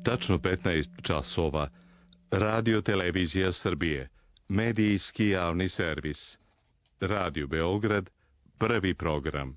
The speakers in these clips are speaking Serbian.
Tačno 15 časova. Radio Televizija Srbije. Medijski javni servis. Radio Beograd. Prvi program.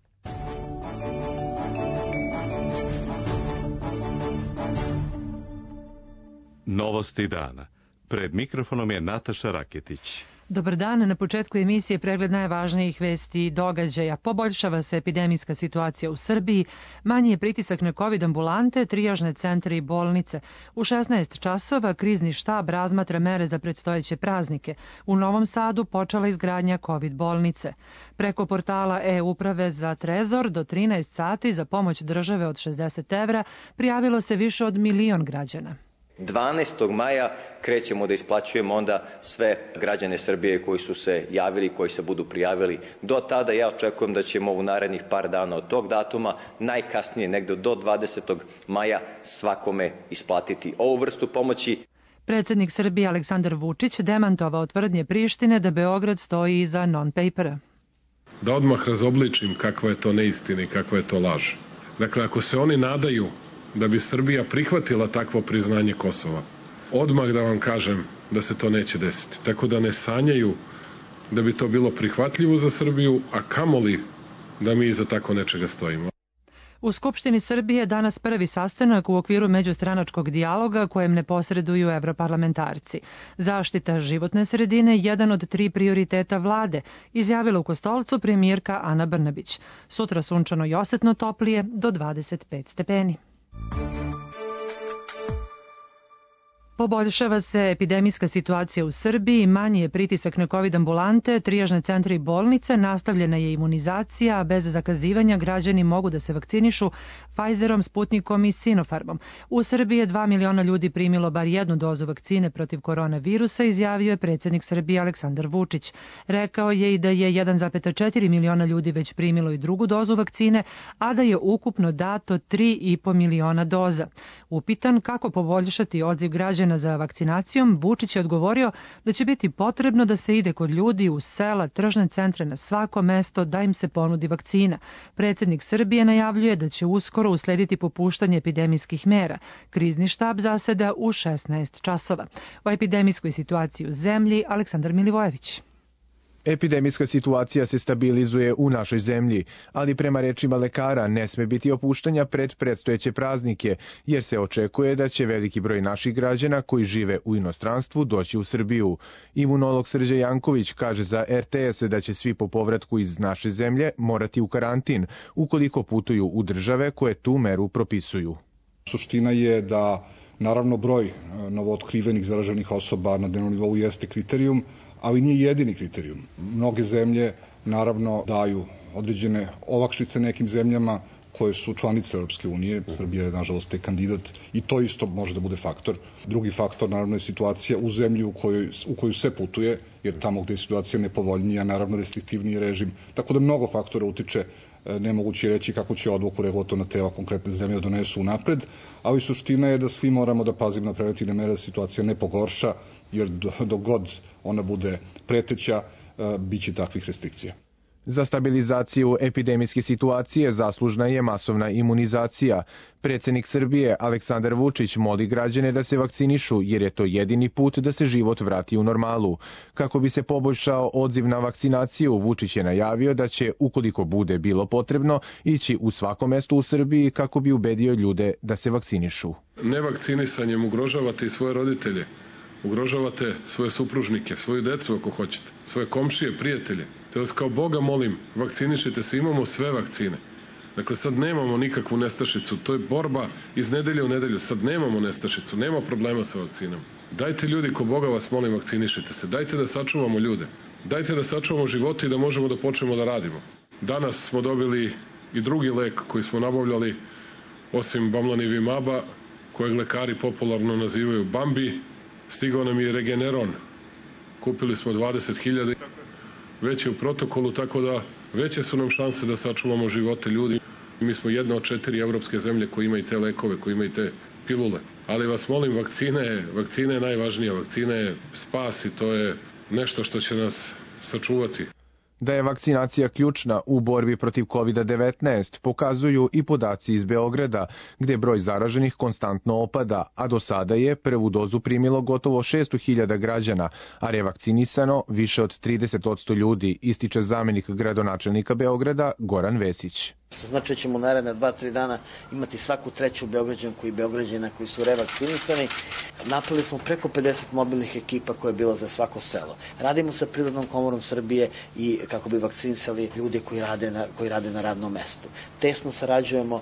Novosti dana. Pred mikrofonom je Nataša Raketić. Dobar dan, na početku emisije pregled najvažnijih vesti i događaja. Poboljšava se epidemijska situacija u Srbiji, manji je pritisak na COVID ambulante, trijažne centre i bolnice. U 16 časova krizni štab razmatra mere za predstojeće praznike. U Novom Sadu počela izgradnja COVID bolnice. Preko portala e-uprave za Trezor do 13 sati za pomoć države od 60 evra prijavilo se više od 1.000.000 građana. 12. maja krećemo da isplaćujemo onda sve građane Srbije koji su se javili, koji se budu prijavili. Do tada ja očekujem da ćemo u narednih par dana od tog datuma, najkasnije negde do 20. maja, svakome isplatiti ovu vrstu pomoći. Predsjednik Srbije Aleksandar Vučić demantovao tvrdnje Prištine da Beograd stoji iza non-papera. Da odmah razobličim kakva je to neistina i kakva je to laž. Dakle, ako se oni nadaju da bi Srbija prihvatila takvo priznanje Kosova, odmah da vam kažem da se to neće desiti. Tako da ne sanjaju da bi to bilo prihvatljivo za Srbiju, a kamoli da mi iza tako nečega stojimo. U Skupštini Srbije danas prvi sastanak u okviru međustranačkog dijaloga kojem ne posreduju evroparlamentarci. Zaštita životne sredine je jedan od 3 prioriteta vlade, izjavila u Kostolcu premijerka Ana Brnabić. Sutra sunčano i osetno toplije do 25 stepeni. Poboljšava se epidemijska situacija u Srbiji, manji je pritisak na COVID ambulante, trijažne centre i bolnice, nastavljena je imunizacija, a bez zakazivanja građani mogu da se vakcinišu Pfizerom, Sputnikom i Sinopharmom. U Srbiji je 2 miliona ljudi primilo bar jednu dozu vakcine protiv koronavirusa, izjavio je predsjednik Srbije Aleksandar Vučić. Rekao je i da je 1,4 miliona ljudi već primilo i drugu dozu vakcine, a da je ukupno dato 3,5 miliona doza. Upitan kako poboljšati odziv građana za vakcinacijom, Vučić je odgovorio da će biti potrebno da se ide kod ljudi u sela, tržne centre, na svako mesto da im se ponudi vakcina. Predsjednik Srbije najavljuje da će uskoro uslediti popuštanje epidemijskih mera. Krizni štab zaseda u 16 časova. O epidemijskoj situaciji u zemlji Aleksandar Milivojević. Epidemijska situacija se stabilizuje u našoj zemlji, ali prema rečima lekara ne sme biti opuštanja pred predstojeće praznike, jer se očekuje da će veliki broj naših građana koji žive u inostranstvu doći u Srbiju. Imunolog Srđan Janković kaže za RTS da će svi po povratku iz naše zemlje morati u karantin, ukoliko putuju u države koje tu meru propisuju. Suština je da, naravno, broj novootkrivenih zaraženih osoba na dnevnom nivou jeste kriterijum, ali nije jedini kriterijum. Mnoge zemlje, naravno, daju određene olakšice nekim zemljama koje su članice Europske unije. Srbija je, nažalost, je kandidat i to isto može da bude faktor. Drugi faktor, naravno, je situacija u zemlji u koju se putuje, jer tamo gde je situacija nepovoljnija, naravno, restriktivniji režim. Tako da mnogo faktora utiče, nemoguće reći kako će odluku regulatorna tela konkretne zemlje donesu unapred, ali suština je da svi moramo da pazimo na preventivne mere da situacija ne pogorša, jer dok god ona bude preteća, bit će takvih restrikcija. Za stabilizaciju epidemijske situacije zaslužna je masovna imunizacija. Predsjednik Srbije Aleksandar Vučić moli građane da se vakcinišu jer je to jedini put da se život vrati u normalu. Kako bi se poboljšao odziv na vakcinaciju, Vučić je najavio da će, ukoliko bude bilo potrebno, ići u svako mesto u Srbiji kako bi ubedio ljude da se vakcinišu. Nevakcinisanjem ugrožavate i svoje roditelje. Ugrožavate svoje supružnike, svoju decu ako hoćete, svoje komšije, prijatelje. Te vas kao Boga molim, vakcinišite se, imamo sve vakcine. Dakle, sad nemamo nikakvu nestašicu, to je borba iz nedelje u nedelju, sad nemamo nestašicu, nema problema sa vakcinom. Dajte ljudi, ko Boga vas molim, vakcinišite se, dajte da sačuvamo ljude, dajte da sačuvamo živote i da možemo da počnemo da radimo. Danas smo dobili i drugi lek koji smo nabavljali, osim Bamlanivimaba, kojeg lekari popularno nazivaju Bambi. Stigao nam je Regeneron, kupili smo 20.000, već je u protokolu, tako da veće su nam šanse da sačuvamo živote ljudi. Mi smo jedna od 4 evropske zemlje koji imaju te lekove, koji imaju te pilule. Ali vas molim, vakcina je najvažnija, vakcina je spas i to je nešto što će nas sačuvati. Da je vakcinacija ključna u borbi protiv COVID-19 pokazuju i podaci iz Beograda, gde broj zaraženih konstantno opada, a do sada je prvu dozu primilo gotovo 600.000 građana, a revakcinisano više od 30% ljudi, ističe zamenik gradonačelnika Beograda Goran Vesić. Znači ćemo naredne 2-3 dana imati svaku treću Beograđanku i Beograđana koji su revakcinisani. Napravili smo preko 50 mobilnih ekipa koje je bilo za svako selo. Radimo sa Privrednom komorom Srbije i kako bi vakcinisali ljude koji rade na radnom mestu. Tesno sarađujemo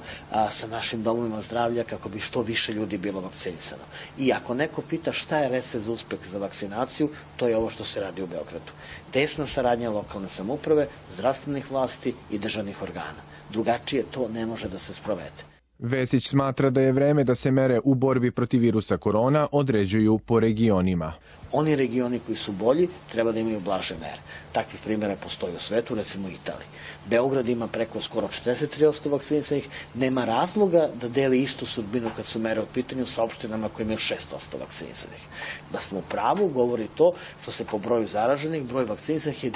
sa našim domovima zdravlja kako bi što više ljudi bilo vakcinisano. I ako neko pita šta je recept za uspeh za vakcinaciju, to je ovo što se radi u Beogradu. Tesna saradnja lokalne samouprave, zdravstvenih vlasti i državnih organa. Drugačije to ne može da se sprovede. Vesić smatra da je vreme da se mere u borbi protiv virusa korona određuju po regionima. Oni regioni koji su bolji treba da imaju blaže mere. Takvih primjera postoji u svetu, recimo u Italiji. Beograd ima preko skoro 43% vakcinisanih, nema razloga da deli istu sudbinu kad su mere u pitanju sa opštinama koje imaju 6% vakcinisanih. Da smo u pravu govori to što se po broju zaraženih, broj vakcinisanih je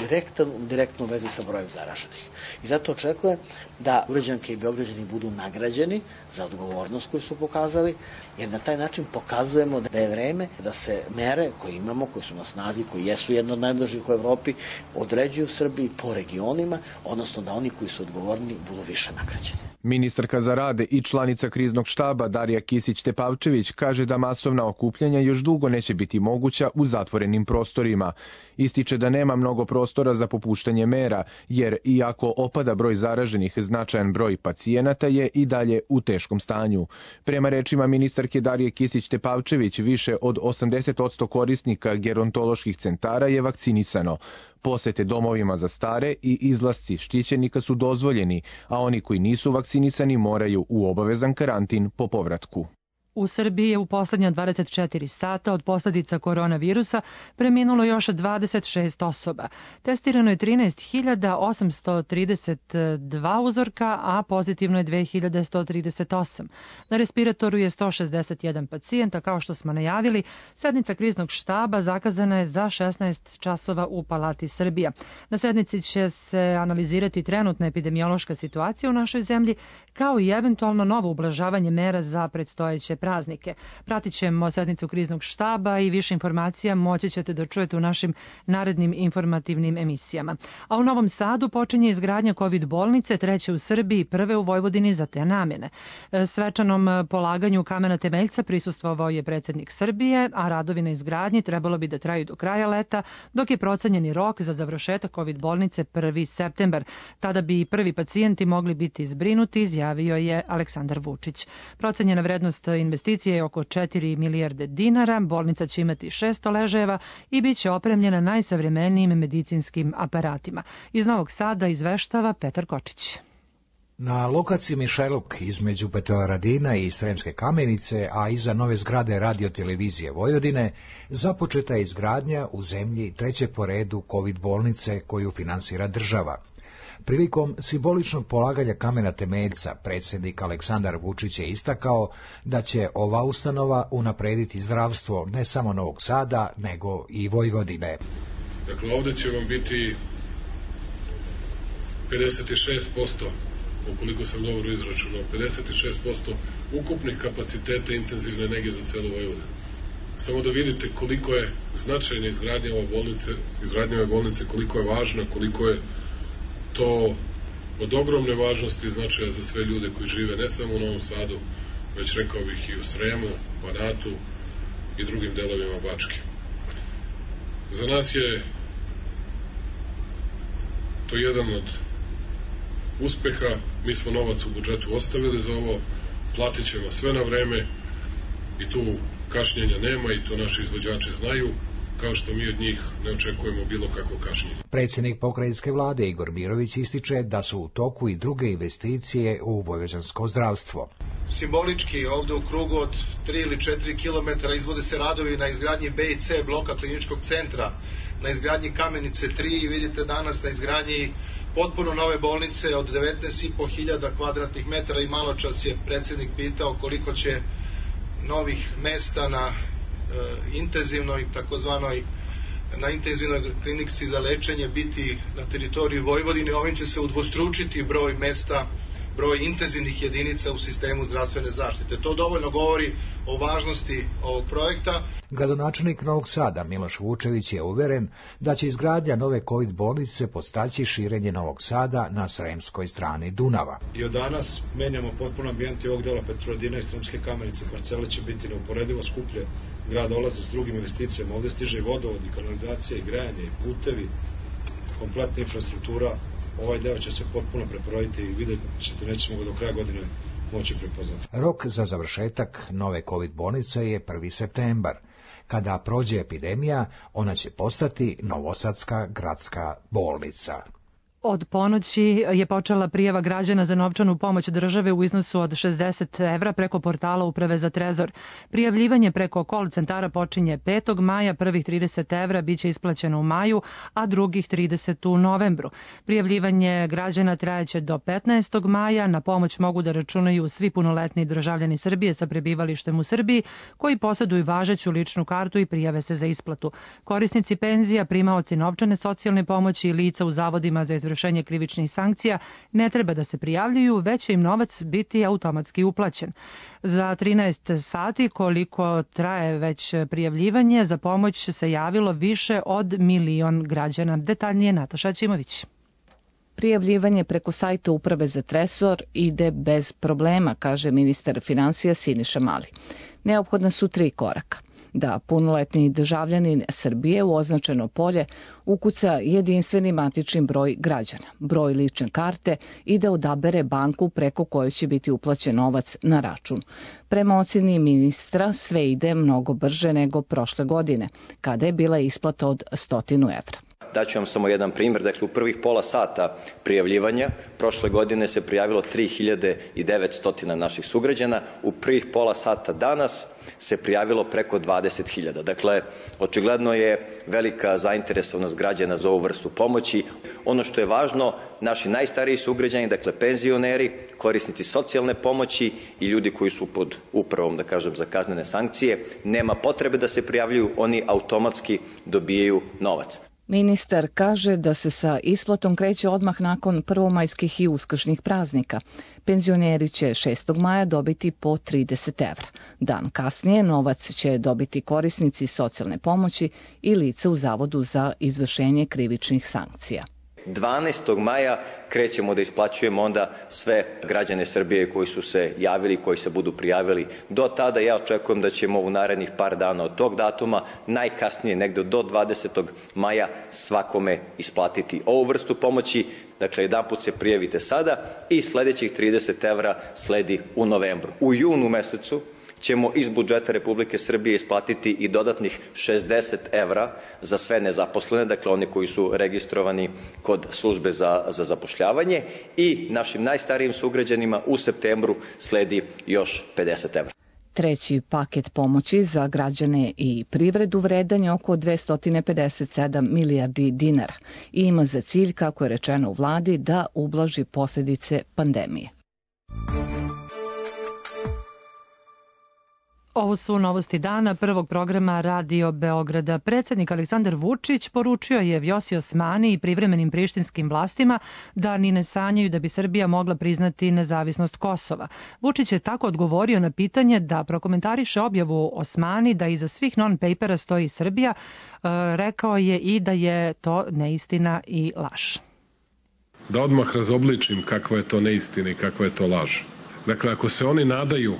direktno u vezi sa brojem zaraženih. I zato očekujem da Beograđanke i Beograđani budu nagrađeni za odgovornost koju su pokazali, jer na taj način pokazujemo da je vreme da se mere koje imamo, koje su na snazi, koji jesu jedno od najblažih u Evropi, određuju u Srbiji po regionima, odnosno da oni koji su odgovorni budu više nagrađeni. Ministarka za rad i članica kriznog štaba Darija Kisić-Tepavčević kaže da masovna okupljanja još dugo neće biti moguća u zatvorenim prostorima. Ističe da nema mnogo prostora za popuštanje mera, jer iako opada broj zaraženih, značajan broj pacijenata je i dalje u teškom stanju. Prema rečima ministarke Darije Kisić-Tepavčević, više od 80% korisnika gerontoloških centara je vakcinisano. Posete domovima za stare i izlasci štićenika su dozvoljeni, a oni koji nisu vakcinisani moraju u obavezan karantin po povratku. U Srbiji je u poslednja 24 sata od posljedica koronavirusa preminulo još 26 osoba. Testirano je 13.832 uzorka, a pozitivno je 2.138. Na respiratoru je 161 pacijenta, kao što smo najavili. Sednica kriznog štaba zakazana je za 16 časova u Palati Srbija. Na sednici će se analizirati trenutna epidemiološka situacija u našoj zemlji, kao i eventualno novo ublažavanje mera za predstojeće praznike. Pratit ćemo sednicu kriznog štaba i više informacija moći ćete da čujete u našim narednim informativnim emisijama. A u Novom Sadu počinje izgradnja COVID bolnice, treće u Srbiji, prve u Vojvodini za te namjene. Svečanom polaganju kamena temeljca prisustvovao je predsjednik Srbije, a radovi na izgradnji trebalo bi da traju do kraja leta, dok je procenjeni rok za završetak COVID bolnice 1. septembar. Tada bi prvi pacijenti mogli biti zbrinuti, izjavio je Aleksandar Vučić. Procenjena vrednost investicije je oko 4 milijarde dinara, bolnica će imati 600 ležajeva i bit će opremljena najsavremenijim medicinskim aparatima. Iz Novog Sada izveštava Petar Kočić. Na lokaciji Mišeluk između Petrovaradina i Sremske Kamenice, a iza nove zgrade radiotelevizije Vojvodine, započeta je izgradnja u zemlji treće po redu COVID bolnice koju finansira država. Prilikom simboličnog polaganja kamena temeljca, predsjednik Aleksandar Vučić je istakao da će ova ustanova unaprediti zdravstvo ne samo Novog Sada, nego i Vojvodine. Dakle, ovdje će vam biti 56%, ukoliko sam dobro izračunao, 56% ukupnih kapaciteta intenzivne nege za celu Vojvodinu. Samo da vidite koliko je značajna izgradnja ove bolnice, koliko je važna, koliko je to od ogromne važnosti i značaja za sve ljude koji žive ne samo u Novom Sadu, već rekao bih i u Sremu, Banatu i drugim delovima Bačke. Za nas je to jedan od uspeha. Mi smo novac u budžetu ostavili za ovo, platit ćemo sve na vreme i tu kašnjenja nema i to naši izvođači znaju, kao što mi od njih ne očekujemo bilo kako kašnjenje. Predsjednik pokrajinske vlade Igor Mirović ističe da su u toku i druge investicije u vojvođansko zdravstvo. Simbolički ovdje u krugu od 3 ili 4 kilometara izvode se radovi na izgradnji B i C bloka kliničkog centra, na izgradnji Kamenice 3 i vidite danas na izgradnji potpuno nove bolnice od 19.500 kvadratnih metara i malo čas je predsjednik pitao koliko će novih mesta na intenzivnoj takozvanoj na intenzivnoj klinici za lečenje biti na teritoriji Vojvodine. Ovim će se udvostručiti broj mesta, broj intenzivnih jedinica u sistemu zdravstvene zaštite. To dovoljno govori o važnosti ovog projekta. Gradonačelnik Novog Sada Miloš Vučević je uveren da će izgradnja nove COVID bolnice podstaći širenje Novog Sada na sremskoj strani Dunava. I od danas menjamo potpuno ambijent i ovog dela Petrovaradina i Sremske Kamenice. Parcele će biti neuporedivo skuplje. Grad dolazi s drugim investicijama. Ovde stiže i vodovod, i kanalizacija, i grejanje, i putevi, kompletna infrastruktura. Ovaj deo će se potpuno preporoditi i vidjet ćete, nećemo ga do kraja godine moći prepoznati. Rok za završetak nove COVID bolnice je 1. septembar. Kada prođe epidemija, ona će postati Novosadska gradska bolnica. Od ponoći je počela prijava građana za novčanu pomoć države u iznosu od 60 evra preko portala Uprave za trezor. Prijavljivanje preko call centara počinje 5. maja, prvih 30 evra biće isplaćeno u maju, a drugih 30 u novembru. Prijavljivanje građana trajeće do 15. maja, na pomoć mogu da računaju svi punoletni državljani Srbije sa prebivalištem u Srbiji koji posjeduju važeću ličnu kartu i prijave se za isplatu. Korisnici penzija, primaoci novčane socijalne pomoći i lica u zavodima za izvršenje krivičnih sankcija ne treba da se prijavljuju, već će im novac biti automatski uplaćen. Za 13 sati koliko traje već prijavljivanje, za pomoć se javilo više od 1 milion građana. Detaljnije Nataša Ćimović. Prijavljivanje preko sajta Uprave za trezor ide bez problema, kaže ministar finansija Siniša Mali. Neophodna su 3 koraka. Da punoletni državljanin Srbije u označeno polje ukuca jedinstveni matični broj građana, broj lične karte i da odabere banku preko koje će biti uplaćen novac na račun. Prema ocjeni ministra sve ide mnogo brže nego prošle godine, kada je bila isplata od 100 evra. Daću vam samo jedan primjer. Dakle, u prvih pola sata prijavljivanja prošle godine se prijavilo 3900 naših sugrađana. U prvih pola sata danas se prijavilo preko 20.000. Dakle, očigledno je velika zainteresovanost građana za ovu vrstu pomoći. Ono što je važno, naši najstariji sugrađani, dakle penzioneri, korisnici socijalne pomoći i ljudi koji su pod upravom, da kažem, za kaznene sankcije, nema potrebe da se prijavljuju, oni automatski dobijaju novac. Ministar kaže da se sa isplatom kreće odmah nakon prvomajskih i uskršnjih praznika. Penzioneri će 6. maja dobiti po 30 evra. Dan kasnije novac će dobiti korisnici socijalne pomoći i lice u Zavodu za izvršenje krivičnih sankcija. 12. maja krećemo da isplaćujemo onda sve građane Srbije koji su se javili, koji se budu prijavili. Do tada ja očekujem da ćemo u narednih par dana od tog datuma, najkasnije negde do 20. maja, svakome isplatiti ovu vrstu pomoći. Dakle, jedanput se prijavite sada i sledećih 30 evra sledi u novembru. U junu mesecu ćemo iz budžeta Republike Srbije isplatiti i dodatnih 60 evra za sve nezaposlene, dakle oni koji su registrovani kod službe za zapošljavanje, i našim najstarijim sugrađanima u septembru sledi još 50 evra. Treći paket pomoći za građane i privredu vredan je oko 257 milijardi dinara i ima za cilj, kako je rečeno u vladi, da ublaži posljedice pandemije. Ovo su novosti dana prvog programa Radio Beograda. Predsjednik Aleksandar Vučić poručio je Vjosi Osmani i privremenim prištinskim vlastima da ni ne sanjaju da bi Srbija mogla priznati nezavisnost Kosova. Vučić je tako odgovorio na pitanje da prokomentariše objavu Osmani da iza svih non-papera stoji Srbija. Rekao je i da je to neistina i laž. Da odmah razobličim kakva je to neistina i kakva je to laž. Dakle, ako se oni nadaju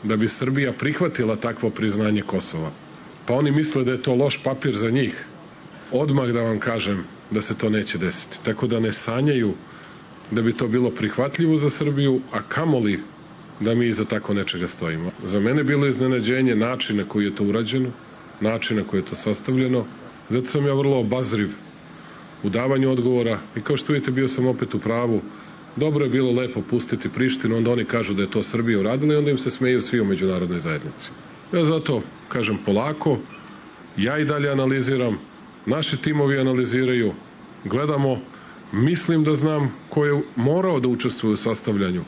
da bi Srbija prihvatila takvo priznanje Kosova, pa oni misle da je to loš papir za njih, odmah da vam kažem da se to neće desiti. Tako da ne sanjaju da bi to bilo prihvatljivo za Srbiju, a kamoli da mi iza tako nečega stojimo. Za mene bilo iznenađenje načina koji je to urađeno, načina koji je to sastavljeno, zato sam ja vrlo obazriv u davanju odgovora i kao što vidite bio sam opet u pravu. Dobro je bilo lepo pustiti Prištinu, onda oni kažu da je to Srbija uradila i onda im se smeju svi u međunarodnoj zajednici. Ja zato kažem polako, ja i dalje analiziram, naši timovi analiziraju, gledamo, mislim da znam ko je morao da učestvuje u sastavljanju.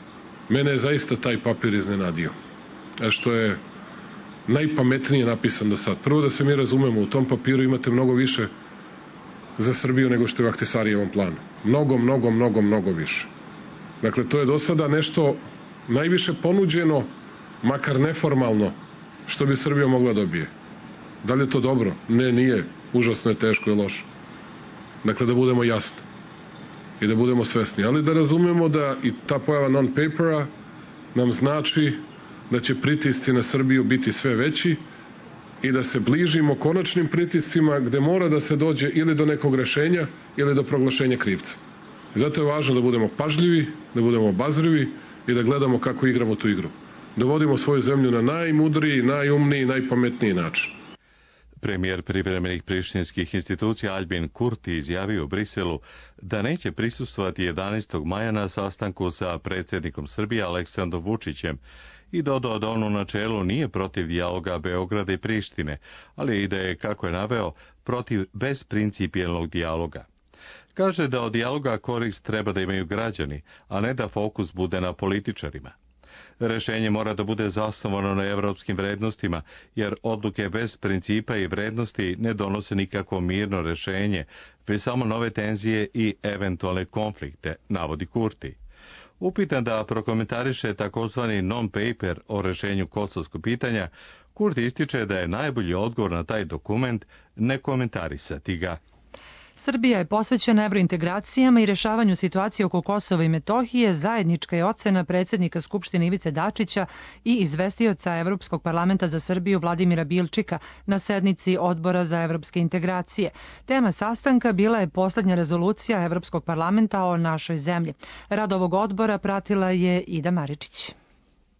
Mene je zaista taj papir iznenadio, što je najpametnije napisan do sad. Prvo da se mi razumemo, u tom papiru imate mnogo više za Srbiju nego što je u Ahtisarijevom planu. Mnogo više. Dakle, to je do sada nešto najviše ponuđeno, makar neformalno, što bi Srbija mogla dobije. Da li je to dobro? Ne, nije. Užasno je, teško i loše. Dakle, da budemo jasni i da budemo svesni. Ali da razumemo da i ta pojava non-papera nam znači da će pritisci na Srbiju biti sve veći i da se bližimo konačnim pritiscima gde mora da se dođe ili do nekog rešenja ili do proglašenja krivca. Zato je važno da budemo pažljivi, da budemo obazrivi i da gledamo kako igramo tu igru. Da vodimo svoju zemlju na najmudriji, najumniji, najpametniji način. Premijer privremenih prištinskih institucija Aljbin Kurti izjavio u Briselu da neće prisustvovati 11. maja na sastanku sa predsjednikom Srbije Aleksandrom Vučićem i dodao da on u načelu nije protiv dijaloga Beograda i Prištine, ali i da je, kako je naveo, protiv besprincipijelnog dijaloga. Kaže da od dijaloga korist treba da imaju građani, a ne da fokus bude na političarima. Rešenje mora da bude zasnovano na evropskim vrednostima, jer odluke bez principa i vrednosti ne donose nikakvo mirno rešenje, već samo nove tenzije i eventualne konflikte, navodi Kurti. Upitan da prokomentariše takozvani non-paper o rešenju kosovskog pitanja, Kurti ističe da je najbolji odgovor na taj dokument ne komentarisati ga. Srbija je posvećena evrointegracijama i rešavanju situacije oko Kosova i Metohije, zajednička je ocena predsjednika Skupštine Ivice Dačića i izvestioca Evropskog parlamenta za Srbiju Vladimira Bilčika na sednici Odbora za evropske integracije. Tema sastanka bila je poslednja rezolucija Evropskog parlamenta o našoj zemlji. Rad ovog odbora pratila je Ida Maričić.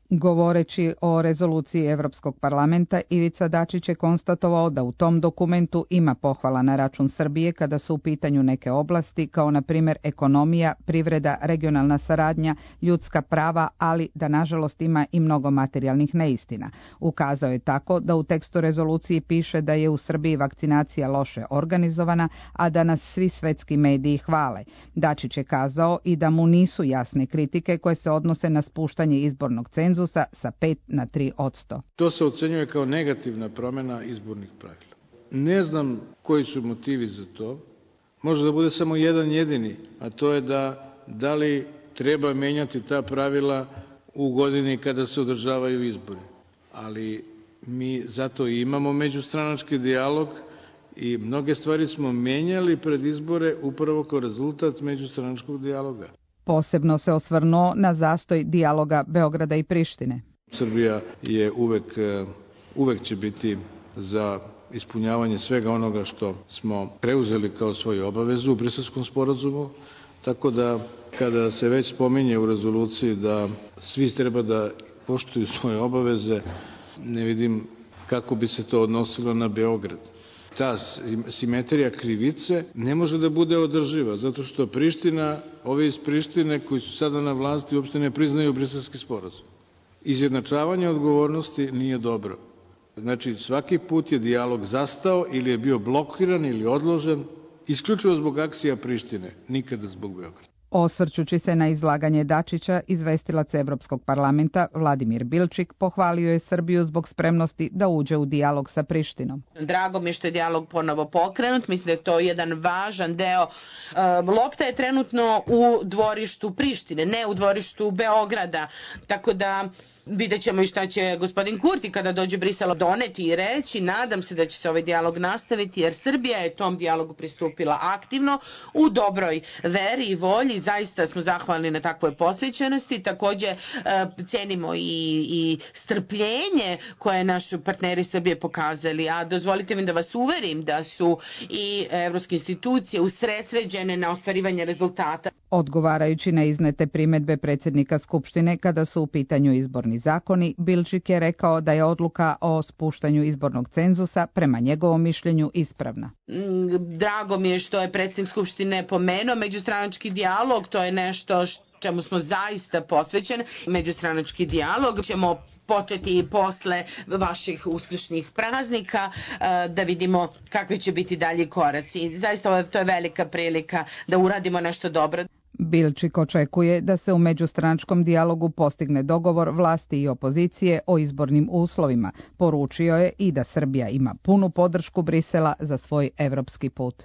Govoreći o rezoluciji Evropskog parlamenta, Ivica Dačić je konstatovao da u tom dokumentu ima pohvala na račun Srbije kada su u pitanju neke oblasti, kao na primjer ekonomija, privreda, regionalna saradnja, ljudska prava, ali da nažalost ima i mnogo materijalnih neistina. Ukazao je tako da u tekstu rezoluciji piše da je u Srbiji vakcinacija loše organizovana, a da nas svi svetski mediji hvale. Dačić je kazao i da mu nisu jasne kritike koje se odnose na spuštanje izbornog cenzusa sa 5 na 3%. To se ocenjuje kao negativna promjena izbornih pravila. Ne znam koji su motivi za to. Može da bude samo jedan jedini, a to je da li treba menjati ta pravila u godini kada se održavaju izbori. Ali mi zato i imamo međustranački dijalog i mnoge stvari smo menjali pred izbore upravo kao rezultat međustranačkog dijaloga. Posebno se osvrnuo na zastoj dijaloga Beograda i Prištine. Srbija je uvek će biti za ispunjavanje svega onoga što smo preuzeli kao svoju obavezu u Briselskom sporazumu, tako da kada se već spominje u rezoluciji da svi treba da poštuju svoje obaveze, ne vidim kako bi se to odnosilo na Beograd. Ta simetrija krivice ne može da bude održiva, zato što Priština, ovi iz Prištine koji su sada na vlasti uopšte ne priznaju Briselski sporazum. Izjednačavanje odgovornosti nije dobro. Znači, svaki put je dijalog zastao ili je bio blokiran ili odložen, isključivo zbog akcija Prištine, nikada zbog Beograda. Osvrćući se na izlaganje Dačića, izvestilac Evropskog parlamenta Vladimir Bilčik pohvalio je Srbiju zbog spremnosti da uđe u dijalog sa Prištinom. Drago mi je što je dijalog ponovo pokrenut, mislim da je to jedan važan deo. Lopta je trenutno u dvorištu Prištine, ne u dvorištu Beograda, tako da vidjet ćemo i šta će gospodin Kurti kada dođe u Brisel doneti i reći. Nadam se da će se ovaj dijalog nastaviti jer Srbija je tom dijalogu pristupila aktivno u dobroj veri i volji. Zaista smo zahvalni na takvoj posvećenosti. Također cenimo i strpljenje koje naši partneri Srbije pokazali. A dozvolite mi da vas uverim da su i evropske institucije usredsređene na ostvarivanje rezultata. Odgovarajući na iznete primedbe predsjednika Skupštine kada su u pitanju izborni zakoni, Bilčik je rekao da je odluka o spuštanju izbornog cenzusa prema njegovom mišljenju ispravna. Drago mi je što je predsjednik Skupštine pomenuo međustranački dijalog, to je nešto čemu smo zaista posvećeni. Međustranački dijalog ćemo početi i posle vaših uskršnjih praznika da vidimo kakvi će biti dalji koraci. Zaista to je velika prilika da uradimo nešto dobro. Bilčik očekuje da se u međustranačkom dijalogu postigne dogovor vlasti i opozicije o izbornim uslovima. Poručio je i da Srbija ima punu podršku Brisela za svoj evropski put.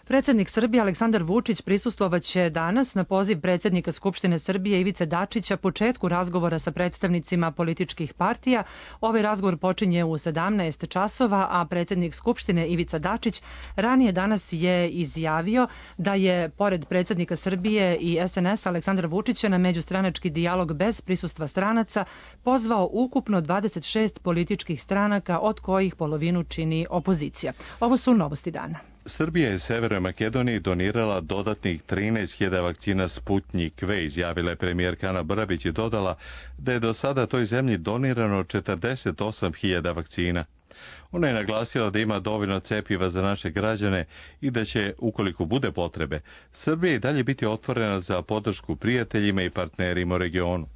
Predsjednik Srbije Aleksandar Vučić prisustvovaće danas na poziv predsjednika Skupštine Srbije Ivice Dačića početku razgovora sa predstavnicima političkih partija. Ovaj razgovor počinje u 17 časova, a predsjednik Skupštine Ivica Dačić ranije danas je izjavio da je pored predsjednika Srbije i SNS Aleksandra Vučića na međustranački dijalog bez prisustva stranaca pozvao ukupno 26 političkih stranaka, od kojih polovinu čini opozicija. Ovo su novosti dana. Srbija je Severnoj Makedoniji donirala dodatnih 13.000 vakcina Sputnjik V, izjavila je premijerka Ana Brnabić i dodala da je do sada toj zemlji donirano 48.000 vakcina. Ona je naglasila da ima dovoljno cjepiva za naše građane i da će, ukoliko bude potrebe, Srbija i dalje biti otvorena za podršku prijateljima i partnerima u regionu.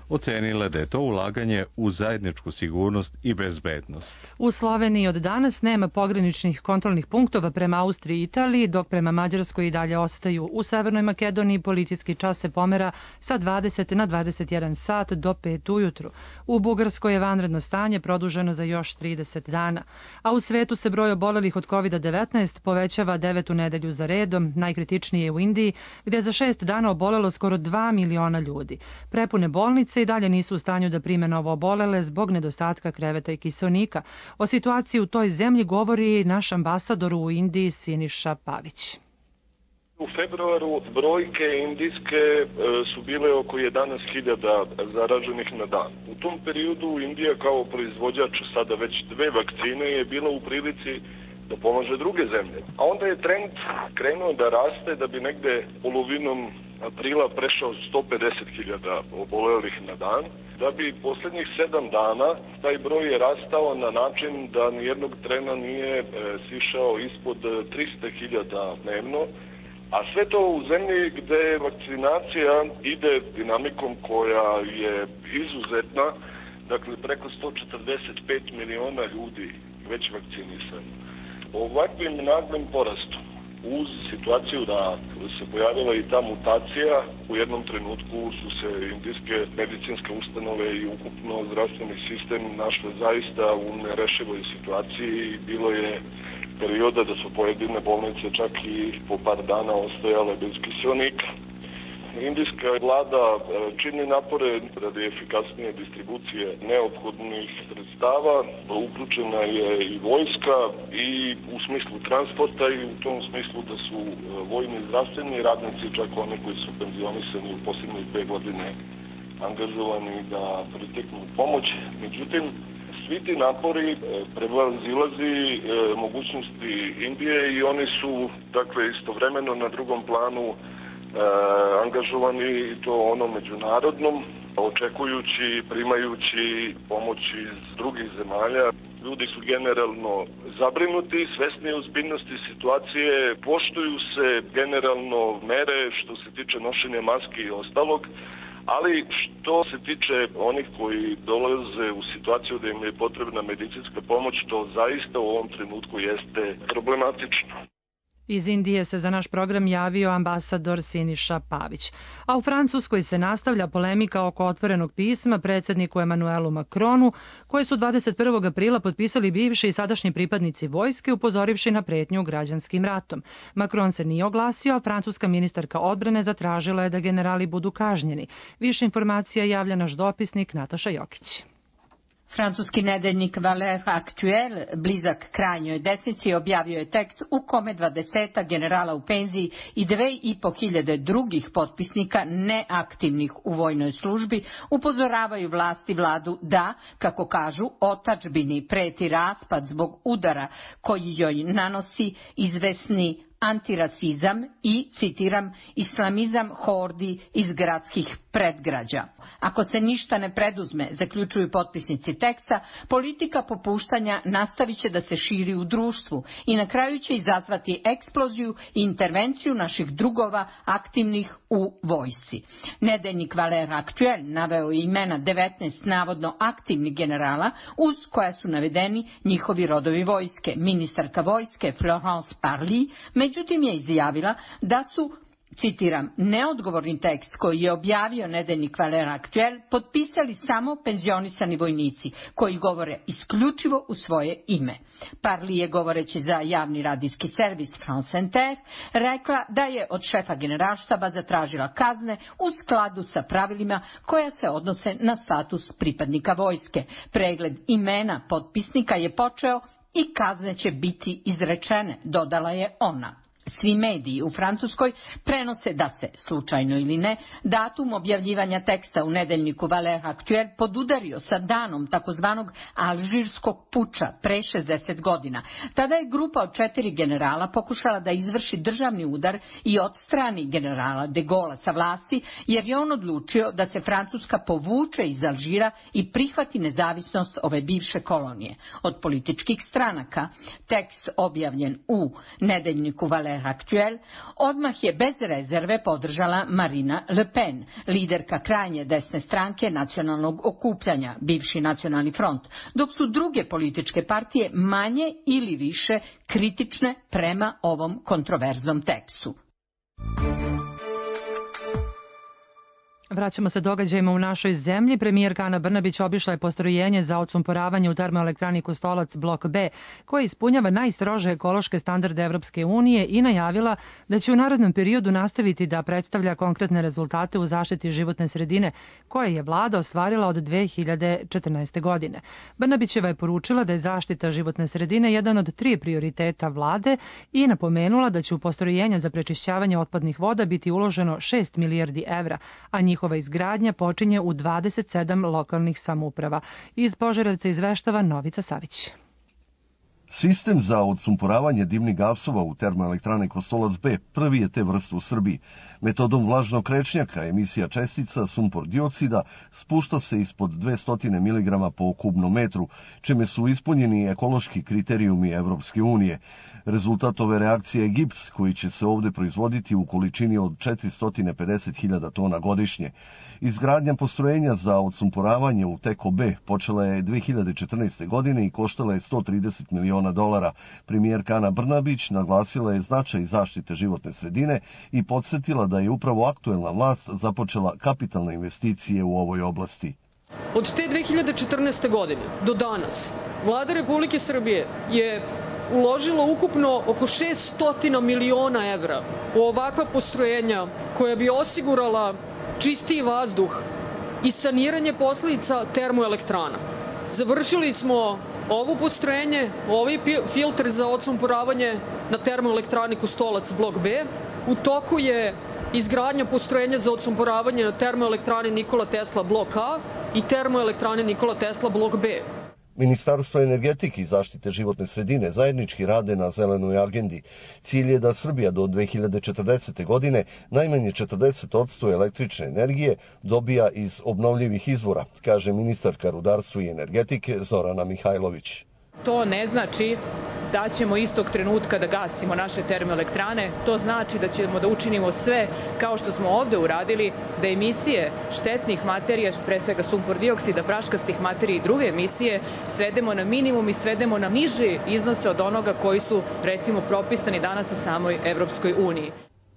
Ocenila da je to ulaganje u zajedničku sigurnost i bezbednost. U Sloveniji od danas nema pograničnih kontrolnih punktova prema Austriji i Italiji, dok prema Mađarskoj i dalje ostaju. U Severnoj Makedoniji policijski čas se pomera sa 20 na 21 sat do 5 ujutru. U Bugarskoj je vanredno stanje produženo za još 30 dana. A u svetu se broj obolelih od COVID-19 povećava 9. nedelju za redom. Najkritičnije je u Indiji, gdje je za 6 dana obolelo skoro 2 miliona ljudi. Prepune bolnice i dalje nisu u stanju da prime novo obolele zbog nedostatka kreveta i kiseonika. O situaciji u toj zemlji govori naš ambasador u Indiji Siniša Pavić. U februaru brojke indijske su bile oko 11.000 zaraženih na dan. U tom periodu Indija kao proizvođač sada već 2 vakcine je bila u prilici da pomaže druge zemlje. A onda je trend krenuo da raste, da bi negde polovinom aprila prešao 150.000 obolelih na dan, da bi posljednjih 7 dana taj broj je rastao na način da nijednog trena nije sišao ispod 300.000 dnevno, a sve to u zemlji gde vakcinacija ide dinamikom koja je izuzetna, dakle preko 145 miliona ljudi već vakcinisani. Ovakvim naglim porastom, uz situaciju da se pojavila i ta mutacija, u jednom trenutku su se indijske medicinske ustanove i ukupno zdravstveni sistem našle zaista u nerešivoj situaciji i bilo je perioda da su pojedine bolnice čak i po par dana ostajale bez kiseonika. Indijska vlada čini napore radi efikasnije distribucije neophodnih sredstava, uključena je i vojska i u smislu transporta i u tom smislu da su vojni zdravstveni radnici, čak oni koji su penzionisani u posljednje 2 godine angažovani da priteknu pomoć. Međutim, svi ti napori prevazilazi mogućnosti Indije i oni su dakle istovremeno na drugom planu angažovani i to ono međunarodnom, očekujući, primajući pomoć iz drugih zemalja. Ljudi su generalno zabrinuti, svesni ozbiljnosti situacije, poštuju se generalno mere što se tiče nošenja maski i ostalog, ali što se tiče onih koji dolaze u situaciju da im je potrebna medicinska pomoć, to zaista u ovom trenutku jeste problematično. Iz Indije se za naš program javio ambasador Siniša Pavić. A u Francuskoj se nastavlja polemika oko otvorenog pisma predsjedniku Emanuelu Macronu, koje su 21. aprila potpisali bivši i sadašnji pripadnici vojske, upozorivši na pretnju građanskim ratom. Macron se nije oglasio, a francuska ministarka odbrane zatražila je da generali budu kažnjeni. Više informacija javlja naš dopisnik Nataša Jokić. Francuski nedeljnik Valeurs Actuel, blizak krajnjoj desnici, objavio je tekst u kome 20 generala u penziji i 2.500 drugih potpisnika neaktivnih u vojnoj službi upozoravaju vlast i vladu da, kako kažu, otadžbini preti raspad zbog udara koji joj nanosi izvesni antirasizam i, citiram, islamizam hordi iz gradskih predgrađa. Ako se ništa ne preduzme, zaključuju potpisnici teksta, politika popuštanja nastavit će da se širi u društvu i na kraju će izazvati eksploziju i intervenciju naših drugova aktivnih u vojsci. Nedeljnik Valeurs Actuel naveo je imena 19 navodno aktivnih generala uz koja su navedeni njihovi rodovi vojske. Ministarka vojske Florence Parly međutim je izjavila da su Citiram, neodgovorni tekst koji je objavio nedeljnik Valeurs Actuelles potpisali samo penzionisani vojnici koji govore isključivo u svoje ime. Parli je, govoreći za javni radijski servis France Inter, rekla da je od šefa generalštaba zatražila kazne u skladu sa pravilima koja se odnose na status pripadnika vojske. Pregled imena potpisnika je počeo i kazne će biti izrečene, dodala je ona. Svi mediji u Francuskoj prenose da se, slučajno ili ne, datum objavljivanja teksta u nedeljniku Valeurs Actuelles podudario sa danom takozvanog alžirskog puča pre 60 godina. Tada je grupa od 4 generala pokušala da izvrši državni udar i odstrani generala de Gaulle sa vlasti, jer je on odlučio da se Francuska povuče iz Alžira i prihvati nezavisnost ove bivše kolonije. Od političkih stranaka tekst objavljen u nedeljniku Valeurs Actuelles odmah je bez rezerve podržala Marine Le Pen, liderka krajnje desne stranke nacionalnog okupljanja, bivši nacionalni front, dok su druge političke partije manje ili više kritične prema ovom kontroverznom tekstu. Vraćamo se događajima u našoj zemlji. Premijerka Ana Brnabić obišla je postrojenje za odsumporavanje u termoelektrani Kostolac blok B, koje ispunjava najstrože ekološke standarde Evropske unije i najavila da će u narednom periodu nastaviti da predstavlja konkretne rezultate u zaštiti životne sredine, koje je vlada ostvarila od 2014. godine. Brnabićeva je poručila da je zaštita životne sredine jedan od 3 prioriteta vlade i napomenula da će u postrojenja za prečišćavanje otpadnih voda biti uloženo 6 milijardi evra, a njihova izgradnja počinje u 27 lokalnih samouprava. Iz Požarevca izveštava Novica Savić. Sistem za odsumporavanje dimnih gasova u termoelektrani Kostolac B prvi je te vrste u Srbiji. Metodom vlažnog krečnjaka emisija čestica sumpor dioksida spušta se ispod 200 mg po kubnom metru, čime su ispunjeni ekološki kriterijumi Evropske unije. Rezultat ove reakcije je gips koji će se ovde proizvoditi u količini od 450.000 tona godišnje. Izgradnja postrojenja za odsumporavanje u TEKO B počela je 2014. godine i koštala je $130 miliona. Premijerka Ana Brnabić naglasila je značaj zaštite životne sredine i podsjetila da je upravo aktuelna vlast započela kapitalne investicije u ovoj oblasti. Od te 2014. godine do danas Vlada Republike Srbije je uložila ukupno oko 600 miliona evra u ovakva postrojenja koja bi osigurala čistiji vazduh i saniranje posledica termoelektrana. Završili smo ovo postrojenje, ovaj filtr za odsumporavanje na termoelektrani Kostolac blok B. U toku je izgradnja postrojenja za odsumporavanje na termoelektrani Nikola Tesla blok A i termoelektrani Nikola Tesla blok B. Ministarstvo energetike i zaštite životne sredine zajednički rade na zelenoj agendi. Cilj je da Srbija do 2040. godine najmanje 40% električne energije dobija iz obnovljivih izvora, kaže ministarka rudarstva i energetike Zorana Mihajlović. To ne znači da ćemo istog trenutka da gasimo naše termoelektrane, to znači da ćemo da učinimo sve kao što smo ovde uradili, da emisije štetnih materija, pre svega sumpor dioksida, praškastih materija i druge emisije, svedemo na minimum i svedemo na niže iznose od onoga koji su, recimo, propisani danas u samoj Evropskoj uniji.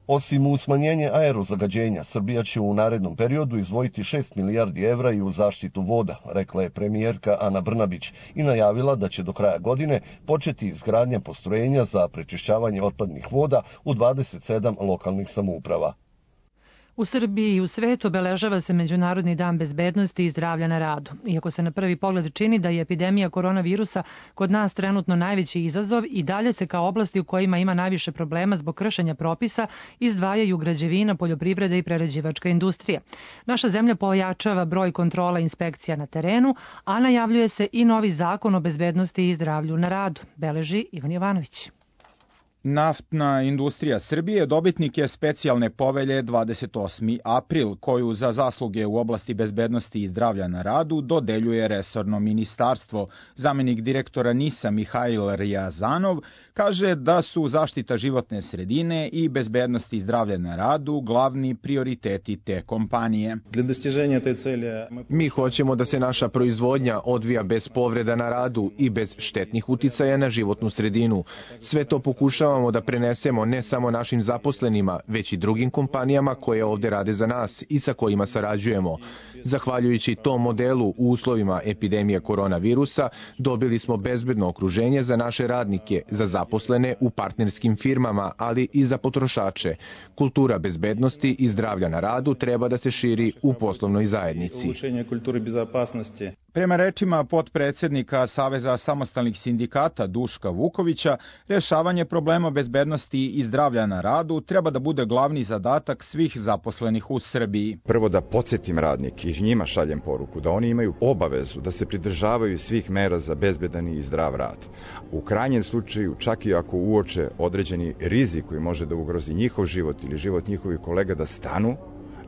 Osim u smanjenje aerozagađenja, Srbija će u narednom periodu izdvojiti 6 milijardi evra i u zaštitu voda, rekla je premijerka Ana Brnabić i najavila da će do kraja godine početi izgradnja postrojenja za prečišćavanje otpadnih voda u 27 lokalnih samouprava. U Srbiji i u svetu obeležava se Međunarodni dan bezbednosti i zdravlja na radu. Iako se na prvi pogled čini da je epidemija koronavirusa kod nas trenutno najveći izazov, i dalje se kao oblasti u kojima ima najviše problema zbog kršenja propisa izdvajaju građevina, poljoprivreda i prerađivačka industrija. Naša zemlja pojačava broj kontrola inspekcija na terenu, a najavljuje se i novi zakon o bezbednosti i zdravlju na radu, beleži Ivan Jovanović. Naftna industrija Srbije dobitnik je specijalne povelje 28. april, koju za zasluge u oblasti bezbednosti i zdravlja na radu dodeljuje resorno ministarstvo. Zamenik direktora NIS-a Mihajl Rijazanov kaže da su zaštita životne sredine i bezbednost i zdravlje na radu glavni prioriteti te kompanije. Mi hoćemo da se naša proizvodnja odvija bez povreda na radu i bez štetnih uticaja na životnu sredinu. Sve to pokušavamo da prenesemo ne samo našim zaposlenima, već i drugim kompanijama koje ovde rade za nas i sa kojima sarađujemo. Zahvaljujući tom modelu u uslovima epidemije koronavirusa dobili smo bezbedno okruženje za naše radnike, za zaposlene u partnerskim firmama, ali i za potrošače. Kultura bezbednosti i zdravlja na radu treba da se širi u poslovnoj zajednici. Prema rečima potpredsednika Saveza samostalnih sindikata Duška Vukovića, rešavanje problema bezbednosti i zdravlja na radu treba da bude glavni zadatak svih zaposlenih u Srbiji. Prvo da podsjetim radnike i njima šaljem poruku da oni imaju obavezu da se pridržavaju svih mera za bezbedan i zdrav rad. U krajnjem slučaju, čak i ako uoče određeni rizik koji može da ugrozi njihov život ili život njihovih kolega, da stanu,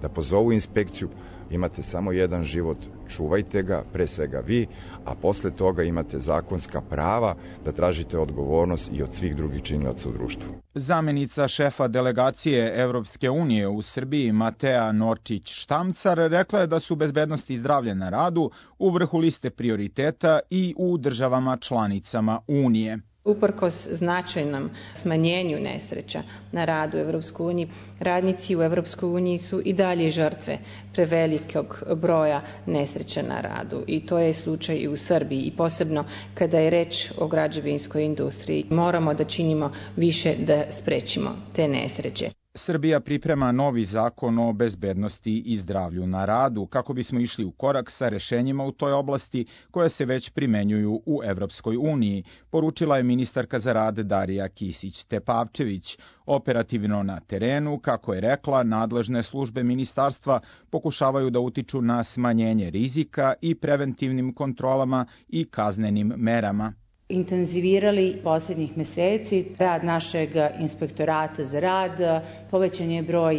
da pozovu inspekciju. Imate samo jedan život, čuvajte ga, pre svega vi, a posle toga imate zakonska prava da tražite odgovornost i od svih drugih činilaca u društvu. Zamenica šefa delegacije Evropske unije u Srbiji Matea Norčić-Štamcar rekla je da su bezbednost i zdravlje na radu u vrhu liste prioriteta i u državama članicama Unije. Uprkos značajnom smanjenju nesreća na radu u Evropskoj uniji, radnici u Evropskoj uniji su i dalje žrtve prevelikog broja nesreća na radu i to je slučaj i u Srbiji i posebno kada je reč o građevinskoj industriji. Moramo da činimo više da sprečimo te nesreće. Srbija priprema novi zakon o bezbednosti i zdravlju na radu kako bismo išli u korak sa rešenjima u toj oblasti koje se već primenjuju u Evropskoj uniji, poručila je ministarka za rad Darija Kisić-Tepavčević. Operativno na terenu, kako je rekla, nadležne službe ministarstva pokušavaju da utiču na smanjenje rizika i preventivnim kontrolama i kaznenim merama. Intenzivirali posljednjih meseci rad našeg inspektorata za rad, povećan je broj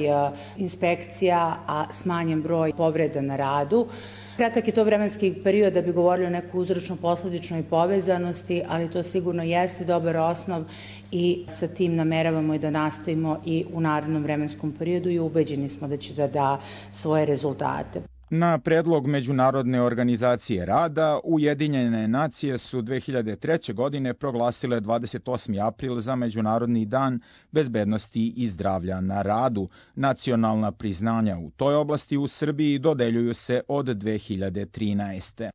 inspekcija, a smanjen broj povreda na radu. Kratak je to vremenski period da bi govorili o nekoj uzročno-posledičnoj povezanosti, ali to sigurno jeste dobar osnov i sa tim nameravamo i da nastavimo i u narednom vremenskom periodu i ubeđeni smo da će da da svoje rezultate. Na predlog Međunarodne organizacije rada, Ujedinjene nacije su 2003. godine proglasile 28. april za Međunarodni dan bezbednosti i zdravlja na radu. Nacionalna priznanja u toj oblasti u Srbiji dodeljuju se od 2013.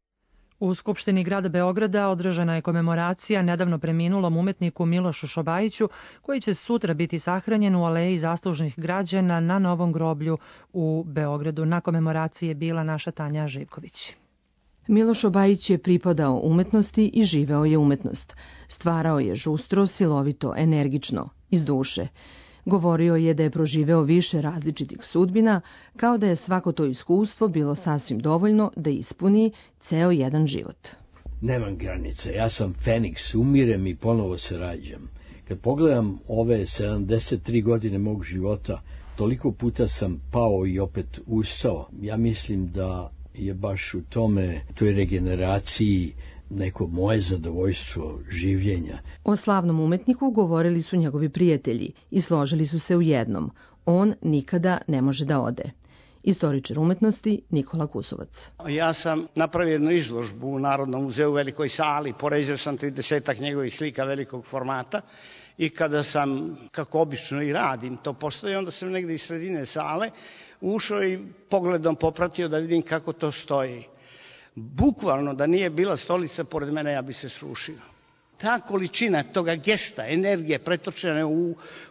U Skupštini grada Beograda održana je komemoracija nedavno preminulom umetniku Milošu Šobajiću, koji će sutra biti sahranjen u aleji zaslužnih građana na Novom groblju u Beogradu. Na komemoraciji je bila naša Tanja Živković. Miloš Šobajić je pripadao umetnosti i živeo je umetnost. Stvarao je žustro, silovito, energično, iz duše. Govorio je da je proživeo više različitih sudbina, kao da je svako to iskustvo bilo sasvim dovoljno da ispuni ceo jedan život. Nemam granice, ja sam Feniks, umirem i ponovo se rađam. Kad pogledam ove 73 godine mog života, toliko puta sam pao i opet ustao. Ja mislim da je baš u toj regeneraciji neko moje zadovoljstvo življenja. O slavnom umetniku govorili su njegovi prijatelji i složili su se u jednom. On nikada ne može da ode. Istoričar umetnosti Nikola Kusovac. Ja sam napravio jednu izložbu u Narodnom muzeju u velikoj sali, poređao sam 30 njegovih slika velikog formata i kada sam, kako obično i radim, to postoji, onda sam negde iz sredine sale ušao i pogledom popratio da vidim kako to stoji. Bukvalno da nije bila stolica pored mene, ja bi se srušio. Ta količina toga gesta, energije pretočene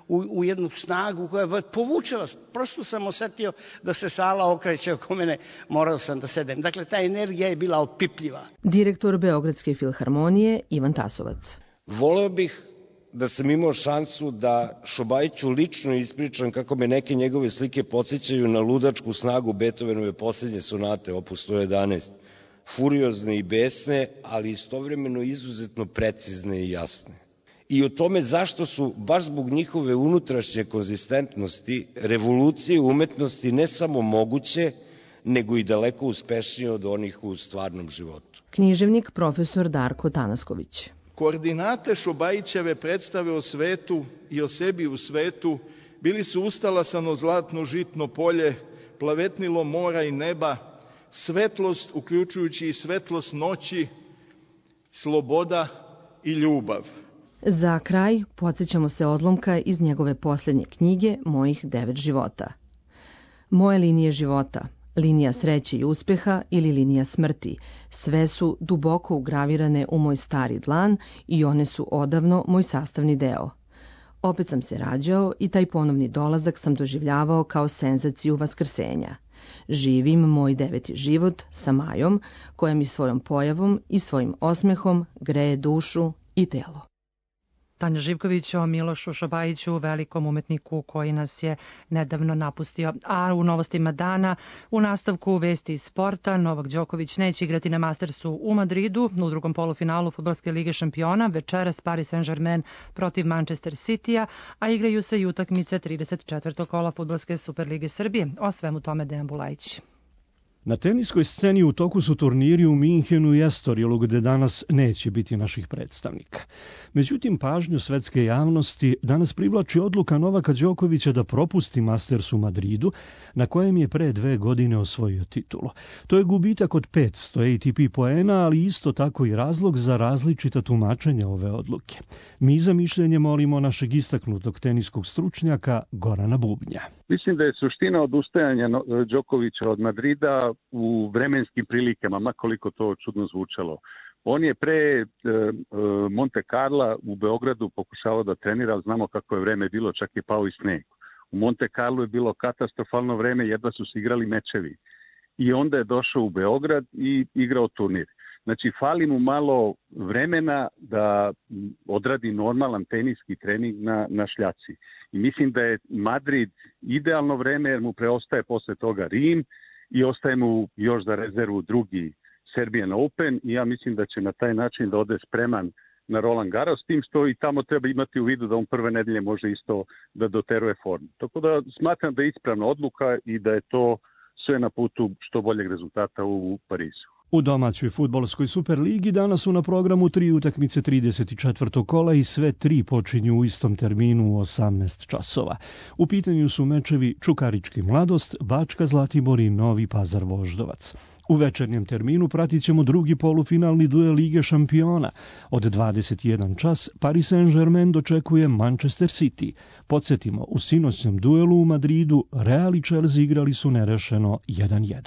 u jednu snagu koja povuče vas. Prosto sam osetio da se sala okreće oko mene, morao sam da sedem. Dakle, ta energija je bila opipljiva. Direktor Beogradske filharmonije Ivan Tasovac. Voleo bih da sam imao šansu da Šobajiću lično ispričam kako me neke njegove slike podsjećaju na ludačku snagu Beethovenove posljednje sonate, opus 111. Furiozne i besne, ali istovremeno izuzetno precizne i jasne. I o tome zašto su, baš zbog njihove unutrašnje konzistentnosti, revolucije umetnosti ne samo moguće, nego i daleko uspešnije od onih u stvarnom životu. Književnik profesor Darko Tanasković. Koordinate Šobajićeve predstave o svetu i o sebi u svetu bili su ustalasano zlatno žitno polje, plavetnilo mora i neba, svetlost, uključujući i svetlost noći, sloboda i ljubav. Za kraj podsjećamo se odlomka iz njegove posljednje knjige Mojih 9 života. Moje linije života, linija sreće i uspeha ili linija smrti, sve su duboko ugravirane u moj stari dlan i one su odavno moj sastavni deo. Opet sam se rađao i taj ponovni dolazak sam doživljavao kao senzaciju vaskrsenja. Živim moj 9. život sa Majom, koja mi svojom pojavom i svojim osmehom greje dušu i telo. Tanja Živković o Milošu Šobajiću, velikom umetniku koji nas je nedavno napustio. A u novostima dana, u nastavku vesti iz sporta, Novak Đoković neće igrati na Mastersu u Madridu u drugom polufinalu Fudbalske lige šampiona, večeras Paris Saint-Germain protiv Manchester Citya, a igraju se i utakmice 34. kola Fudbalske Superlige Srbije. O svemu tome Dejan Bulajić. Na teniskoj sceni u toku su turniri u Minhenu i Estorilu, gde danas neće biti naših predstavnika. Međutim, pažnju svetske javnosti danas privlači odluka Novaka Đokovića da propusti Masters u Madridu, na kojem je pre 2 godine osvojio titulu. To je gubitak od 500 ATP poena, ali isto tako i razlog za različita tumačenja ove odluke. Mi za mišljenje molimo našeg istaknutog teniskog stručnjaka Gorana Bubnja. Mislim da je suština odustajanja Đokovića od Madrida u vremenskim prilikama, makoliko to čudno zvučalo. On je pre Monte Carla u Beogradu pokušavao da trenira, ali znamo kako je vreme bilo, čak je pao i sneg. U Monte Carlu je bilo katastrofalno vreme, jedva su se igrali mečevi. I onda je došao u Beograd i igrao turnir. Znači, fali mu malo vremena da odradi normalan teniski trening na šljaci. I mislim da je Madrid idealno vreme, jer mu preostaje posle toga Rim i ostaje mu još za rezervu drugi Serbian Open i ja mislim da će na taj način da ode spreman na Roland Garros, s tim što i tamo treba imati u vidu da on prve nedelje može isto da doteruje formu. Tako da smatram da je ispravna odluka i da je to sve na putu što boljeg rezultata u Parizu. U domaćoj fudbalskoj Superligi danas su na programu 3 utakmice 34. kola i sve 3 počinju u istom terminu u 18 časova. U pitanju su mečevi Čukarički Mladost, Bačka Zlatibor i Novi Pazar Voždovac. U večernjem terminu pratit ćemo drugi polufinalni duel Lige šampiona. Od 21 čas Paris Saint-Germain dočekuje Manchester City. Podsjetimo, u sinoćnom duelu u Madridu Real i Chelsea igrali su nerešeno 1-1.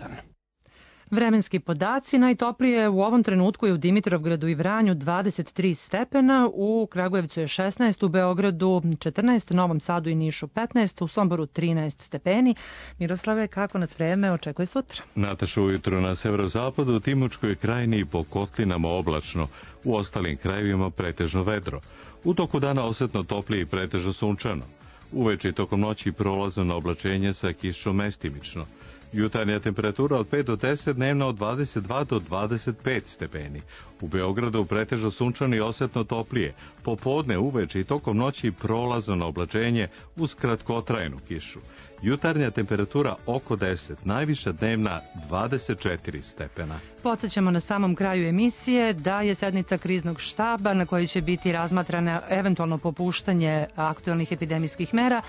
Vremenski podaci, najtoplije u ovom trenutku je u Dimitrovgradu i Vranju 23 stepena, u Kragujevcu je 16, u Beogradu 14, Novom Sadu i Nišu 15, u Somboru 13 stepeni. Miroslave, kako nas vreme očekuje sutra? Nataša, ujutro na severozapadu, u Timočkoj krajini i po kotlinama oblačno, u ostalim krajevima pretežno vedro. U toku dana osetno toplije i pretežno sunčano. Uveče i tokom noći prolazno na oblačenje sa kišom mestimično. Jutarnja temperatura od 5 do 10, dnevna od 22 do 25 stepeni. U Beogradu pretežno sunčano i osetno toplije. Popodne, uveče i tokom noći prolazno na oblačenje uz kratkotrajnu kišu. Jutarnja temperatura oko 10, najviša dnevna 24 stepena. Podsjećamo na samom kraju emisije da je sednica kriznog štaba na kojoj će biti razmatrana eventualno popuštanje aktualnih epidemijskih mera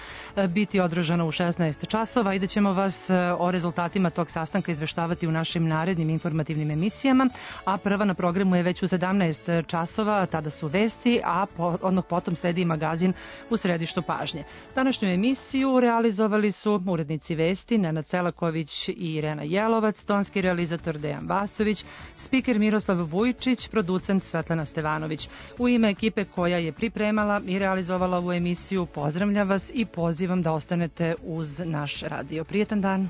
biti održana u 16 časova i da ćemo vas o rezultatima tog sastanka izveštavati u našim narednim informativnim emisijama, a prva na programu je već u 17 časova, tada su vesti, a odmah potom sledi magazin u središtu pažnje. Današnju emisiju realizovali su urednici vesti Nenad Selaković i Irena Jelovac, tonski realizator Dejan Vasović, spiker Miroslav Vujčić, producent Svetlana Stevanović. U ime ekipe koja je pripremala i realizovala ovu emisiju, pozdravljam vas i pozivam da ostanete uz naš radio. Prijetan dan!